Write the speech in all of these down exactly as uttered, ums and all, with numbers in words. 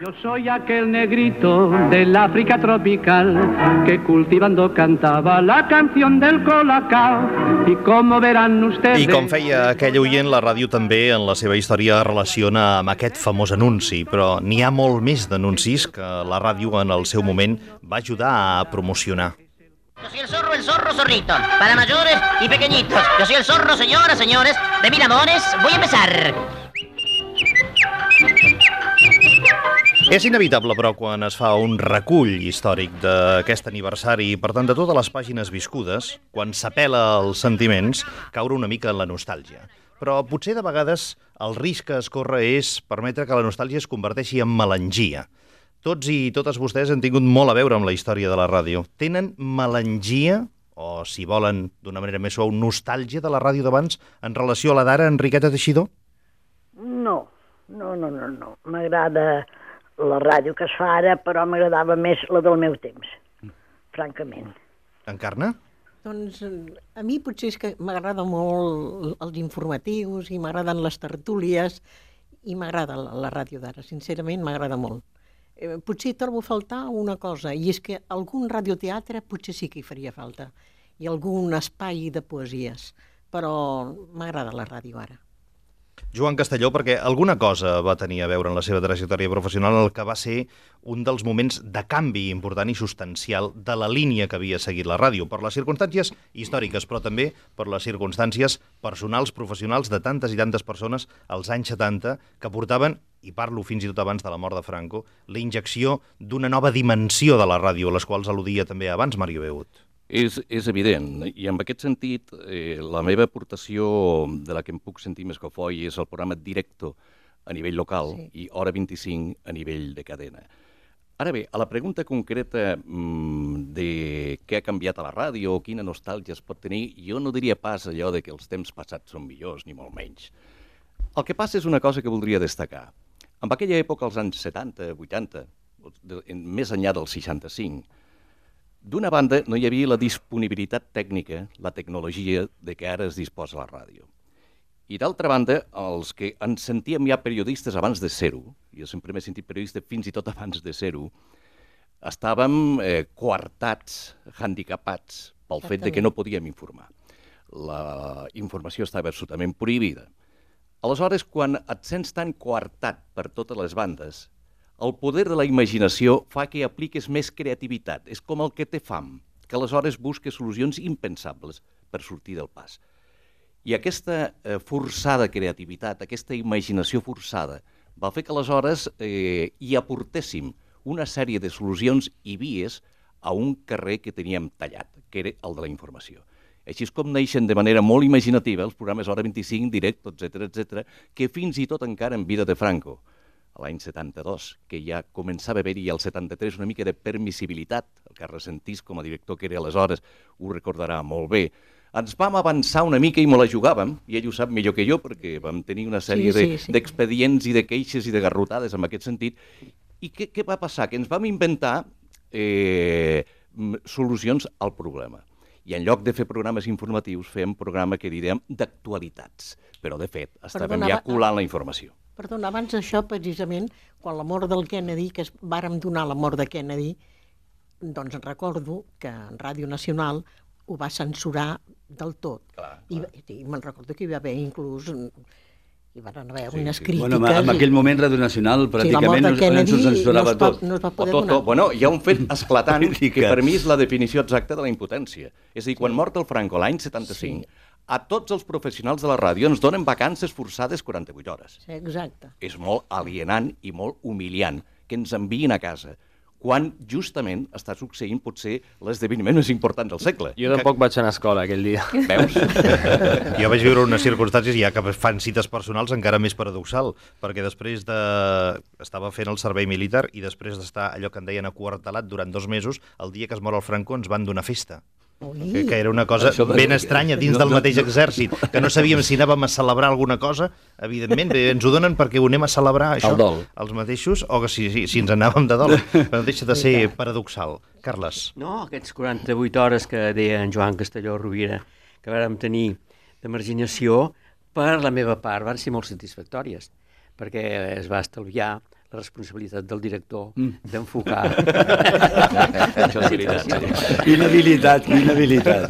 Yo soy aquel negrito del África tropical que cultivando cantaba la canción del colacao y como verán ustedes... I com feia aquell oient, la ràdio també en la seva història relaciona amb aquest famós anunci, però n'hi ha molt més d'anuncis que la ràdio en el seu moment va ajudar a promocionar. Yo soy el zorro, el zorro, zorrito, para mayores y pequeñitos. Yo soy el zorro, señoras, señores, de mil amores. Voy a empezar. És inevitable, però, quan es fa un recull històric d'aquest aniversari i, per tant, de totes les pàgines viscudes, quan s'apela als sentiments, caure una mica en la nostàlgia. Però potser de vegades el risc que es corre és permetre que la nostàlgia es converteixi en melangia. Tots i totes vostès han tingut molt a veure amb la història de la ràdio. Tenen melangia, o si volen d'una manera més suau, nostàlgia de la ràdio d'abans en relació a la d'ara, Enriqueta Teixidor? No, no, no, no, no. M'agrada la ràdio que es fa ara, però m'agradava més la del meu temps, francament. Encarna? Doncs a mi potser és que m'agrada molt els informatius i m'agraden les tertúlies i m'agrada la, la ràdio d'ara, sincerament m'agrada molt. Eh, potser trobo a faltar una cosa, i és que algun radioteatre potser sí que hi faria falta, i algun espai de poesies, però m'agrada la ràdio ara. Joan Castelló, perquè alguna cosa va tenir a veure en la seva trajectòria professional el que va ser un dels moments de canvi important i substancial de la línia que havia seguit la ràdio, per les circumstàncies històriques, però també per les circumstàncies personals, professionals de tantes i tantes persones als anys setanta que portaven, i parlo fins i tot abans de la mort de Franco, la injecció d'una nova dimensió de la ràdio, a les quals al·ludia també abans Mario Beut. És, és evident, i en aquest sentit eh, la meva aportació de la que em puc sentir més cofoi és el programa Directo a nivell local, sí, i Hora vint-i-cinc a nivell de cadena. Ara bé, a la pregunta concreta mmm, de què ha canviat a la ràdio o quina nostàlgia es pot tenir, jo no diria pas allò de que els temps passats són millors, ni molt menys. El que passa és una cosa que voldria destacar. En aquella època, als anys setanta, vuitanta, més enllà del seixanta-cinc, d'una banda, no hi havia la disponibilitat tècnica, la tecnologia de què ara es disposa la ràdio. I d'altra banda, els que ens sentíem ja periodistes abans de ser-ho, jo sempre m'he sentit periodista fins i tot abans de ser-ho, estàvem eh, coartats, handicapats pel fet de que no podíem informar. La informació estava absolutament prohibida. Aleshores, quan et sents tan coartat per totes les bandes, el poder de la imaginació fa que apliques més creativitat. És com el que té fam, que aleshores busca solucions impensables per sortir del pas. I aquesta eh, forçada creativitat, aquesta imaginació forçada, va fer que aleshores eh, hi aportéssim una sèrie de solucions i vies a un carrer que teníem tallat, que era el de la informació. Així és com neixen de manera molt imaginativa els programes Hora vint-i-cinc, Directo, etcètera, etcètera, que fins i tot encara en vida de Franco, a l'any setanta-dos, que ja començava a haver-hi al setanta-tres una mica de permissibilitat. El Carles Sentís, com a director que era aleshores, ho recordarà molt bé. Ens vam avançar una mica i me la jugàvem, i ell ho sap millor que jo, perquè vam tenir una sèrie sí, sí, sí. d'expedients i de queixes i de garrotades en aquest sentit. I què, què va passar? Que ens vam inventar eh, solucions al problema. I en lloc de fer programes informatius, fem programa que direm d'actualitats. Però, de fet, estàvem ja colant la informació. Perdona, abans d'això, precisament, quan la mort del Kennedy, que es vàrem donar la mort de Kennedy, doncs recordo que en Ràdio Nacional ho va censurar del tot. Clar, clar. I, i me'n recordo que hi va haver inclús... Hi van haver sí, unes sí. crítiques... Bueno, en aquell moment Ràdio Nacional pràcticament sí, no s'ho censurava no tot. No es va poder tot, donar. Tot. Bueno, hi ha un fet esclatant que per mi és la definició exacta de la impotència. És a dir, quan mort el Franco l'any setanta-cinc, sí. a tots els professionals de la ràdio ens donen vacances forçades quaranta-vuit hores. Sí, exacte. És molt alienant i molt humiliant que ens enviïn a casa, quan justament està succeint potser l'esdeveniment més important del segle. Jo tampoc que... vaig anar a escola aquell dia. Veus? Jo vaig viure unes circumstàncies ja que fan cites personals encara més paradoxal, perquè després de... estava fent el servei militar i després d'estar allò que en deien aquartelat durant dos mesos, el dia que es mor el Franco ens van donar festa. Que, que era una cosa ben estranya dins del mateix exèrcit, que no sabíem si anàvem a celebrar alguna cosa, evidentment, bé, ens ho donen perquè ho anem a celebrar, això, els mateixos, o que si, si, si ens anàvem de dol, però deixa de ser paradoxal. Carles. No, aquests quaranta-vuit hores que deia en Joan Castelló Rovira, que vàrem tenir de marginació, per la meva part, van ser molt satisfactòries, perquè es va estalviar la responsabilitat del director d'enfocar. Això és veritat. Quina habilitat, quina habilitat.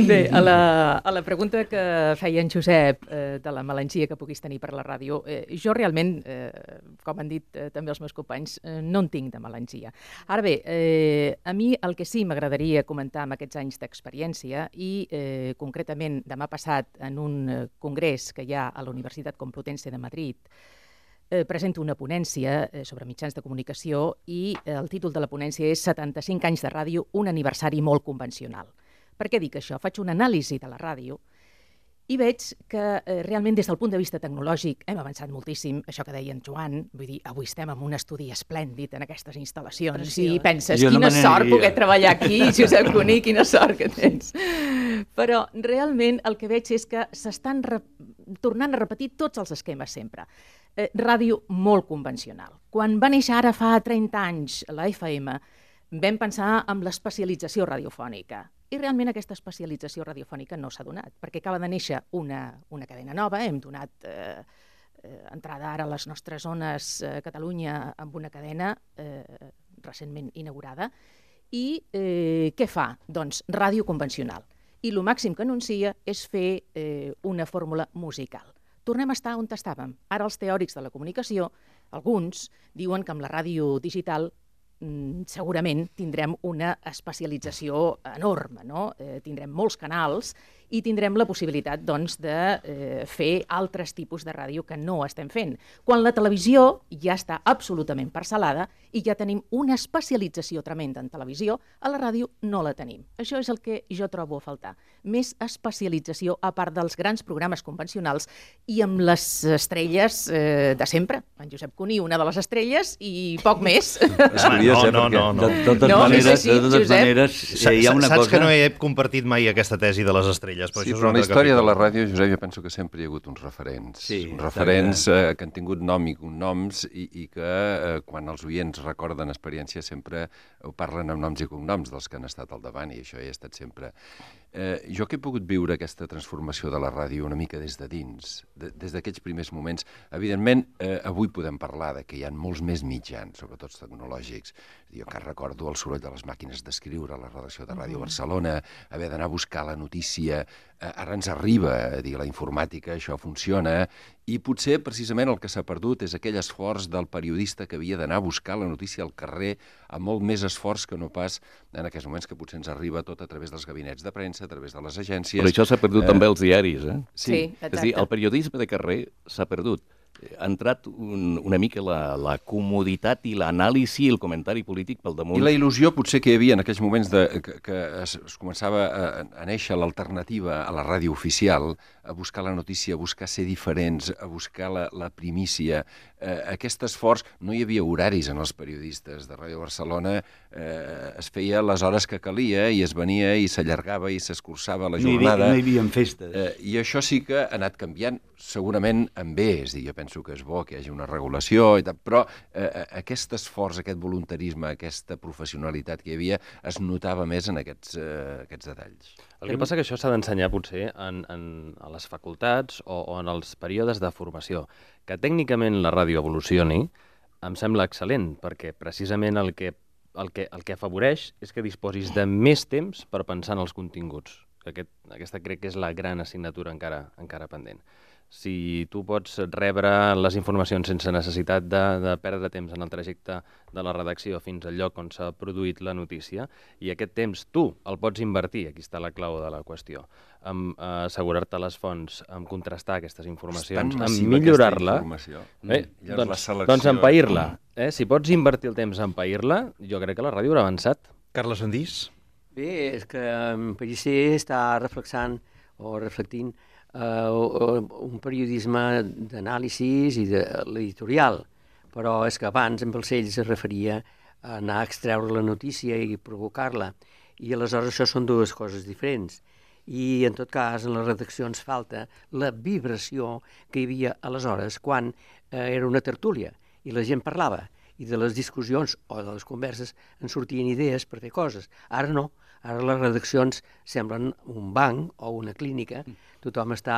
Bé, a la, a la pregunta que feia en Josep eh, de la melangia que puguis tenir per la ràdio, eh, jo realment, eh, com han dit eh, també els meus companys, eh, no en tinc de melangia. Ara bé, eh, a mi el que sí m'agradaria comentar amb aquests anys d'experiència i eh, concretament demà passat en un eh, congrés que hi ha a la Universitat Complutense de Madrid, Eh, presento una ponència eh, sobre mitjans de comunicació i eh, el títol de la ponència és setanta-cinc anys de ràdio, un aniversari molt convencional. Per què dic això? Faig una anàlisi de la ràdio i veig que eh, realment des del punt de vista tecnològic hem avançat moltíssim, això que deia en Joan, vull dir, avui estem en un estudi esplèndid en aquestes instal·lacions Preciós. I penses, jo quina no sort poder treballar aquí, Josep Cuní, quina sort que tens. Però realment el que veig és que s'estan tornant a repetir tots els esquemes sempre. Eh, ràdio molt convencional. Quan va néixer ara fa trenta anys la F M, vam pensar en l'especialització radiofònica. I realment aquesta especialització radiofònica no s'ha donat, perquè acaba de néixer una, una cadena nova, hem donat eh, eh, entrada ara a les nostres zones eh, Catalunya amb una cadena eh, recentment inaugurada. I eh, què fa? Doncs ràdio convencional. I el màxim que anuncia és fer eh, una fórmula musical. Tornem a estar on estàvem. Ara els teòrics de la comunicació, alguns, diuen que amb la ràdio digital mm, segurament tindrem una especialització enorme, no? Eh, tindrem molts canals i tindrem la possibilitat doncs, de eh, fer altres tipus de ràdio que no estem fent. Quan la televisió ja està absolutament parcel·lada i ja tenim una especialització tremenda en televisió, a la ràdio no la tenim. Això és el que jo trobo a faltar. Més especialització a part dels grans programes convencionals i amb les estrelles eh, de sempre. En Josep Cuní, una de les estrelles, i poc més. És curiós, eh, no, no, no. De totes no, maneres, sí, sí, de totes Josep. maneres eh, hi ha una Saps cosa... que no he compartit mai aquesta tesi de les estrelles. Però sí, això és però en la història capítol. de la ràdio, Josep, jo penso que sempre hi ha hagut uns referents. Sí, uns referents eh, que han tingut nom i cognoms i, i que eh, quan els oients recorden experiències sempre ho parlen amb noms i cognoms dels que han estat al davant i això hi ha estat sempre. Eh, jo que he pogut viure aquesta transformació de la ràdio una mica des de dins, de, des d'aquells primers moments, evidentment eh, avui podem parlar de que hi ha molts més mitjans, sobretot tecnològics. Jo que recordo el soroll de les màquines d'escriure a la redacció de Ràdio Barcelona, haver d'anar a buscar la notícia, eh, ara ens arriba, eh, dir, la informàtica, això funciona, i potser precisament el que s'ha perdut és aquell esforç del periodista que havia d'anar a buscar la notícia al carrer amb molt més esforç que no pas en aquests moments que potser ens arriba tot a través dels gabinets de premsa, a través de les agències. Però això s'ha perdut eh... també els diaris, eh? Sí, sí, exacte. És a dir, el periodisme de carrer s'ha perdut. Ha entrat un, una mica la, la comoditat i l'anàlisi i el comentari polític pel damunt. I la il·lusió potser que hi havia en aquells moments de, que, que es, es començava a, a néixer l'alternativa a la ràdio oficial, a buscar la notícia, a buscar ser diferents, a buscar la, la primícia. Eh, aquest esforç, no hi havia horaris en els periodistes de Ràdio Barcelona, eh, es feia les hores que calia i es venia i s'allargava i s'escurçava la jornada. No hi havia festes. Eh, I això sí que ha anat canviant, segurament en bé, és a dir, jo penso que és bo que hi hagi una regulació, i tal, però eh, aquest esforç, aquest voluntarisme, aquesta professionalitat que hi havia, es notava més en aquests, eh, aquests detalls. El que passa que això s'ha d'ensenyar potser en, en, a les facultats o, o en els períodes de formació. Que tècnicament la ràdio evolucioni em sembla excel·lent, perquè precisament el que, el que, el que afavoreix és que disposis de més temps per pensar en els continguts. Aquest, aquesta crec que és la gran assignatura encara, encara pendent. Si tu pots rebre les informacions sense necessitat de, de perdre temps en el trajecte de la redacció fins al lloc on s'ha produït la notícia, i aquest temps tu el pots invertir, aquí està la clau de la qüestió, en uh, assegurar-te les fonts, en contrastar aquestes informacions, en millorar-la, eh, doncs, doncs en pair-la. Eh? Si pots invertir el temps en pair-la, jo crec que la ràdio haurà avançat. Carles Sandís? Bé, és que en Pellicer està reflexant o reflectint Uh, un periodisme d'anàlisis i de l'editorial, però és que abans en Balcells es referia a anar a extreure la notícia i provocar-la, i aleshores això són dues coses diferents. I en tot cas en les redaccions falta la vibració que hi havia aleshores quan eh, era una tertúlia i la gent parlava i de les discussions o de les converses en sortien idees per fer coses. Ara no. Ara les redaccions semblen un banc o una clínica, tothom està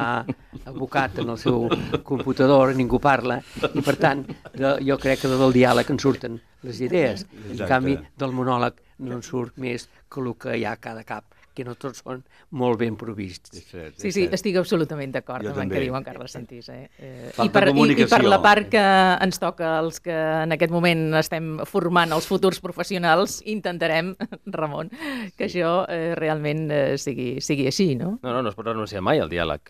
abocat en el seu computador, ningú parla, i per tant de, jo crec que del diàleg en surten les idees. En canvi, del monòleg no en surt més que el que hi ha a cada cap, que no tots són molt ben provists. Sí, sí, estic absolutament d'acord amb el que diu en Carles Sentís. Eh? Eh, Falta i, per, i, comunicació. I per la part que ens toca els que en aquest moment estem formant els futurs professionals, intentarem, Ramon, que això eh, realment eh, sigui, sigui així, no? No, no, no es pot renunciar mai al diàleg.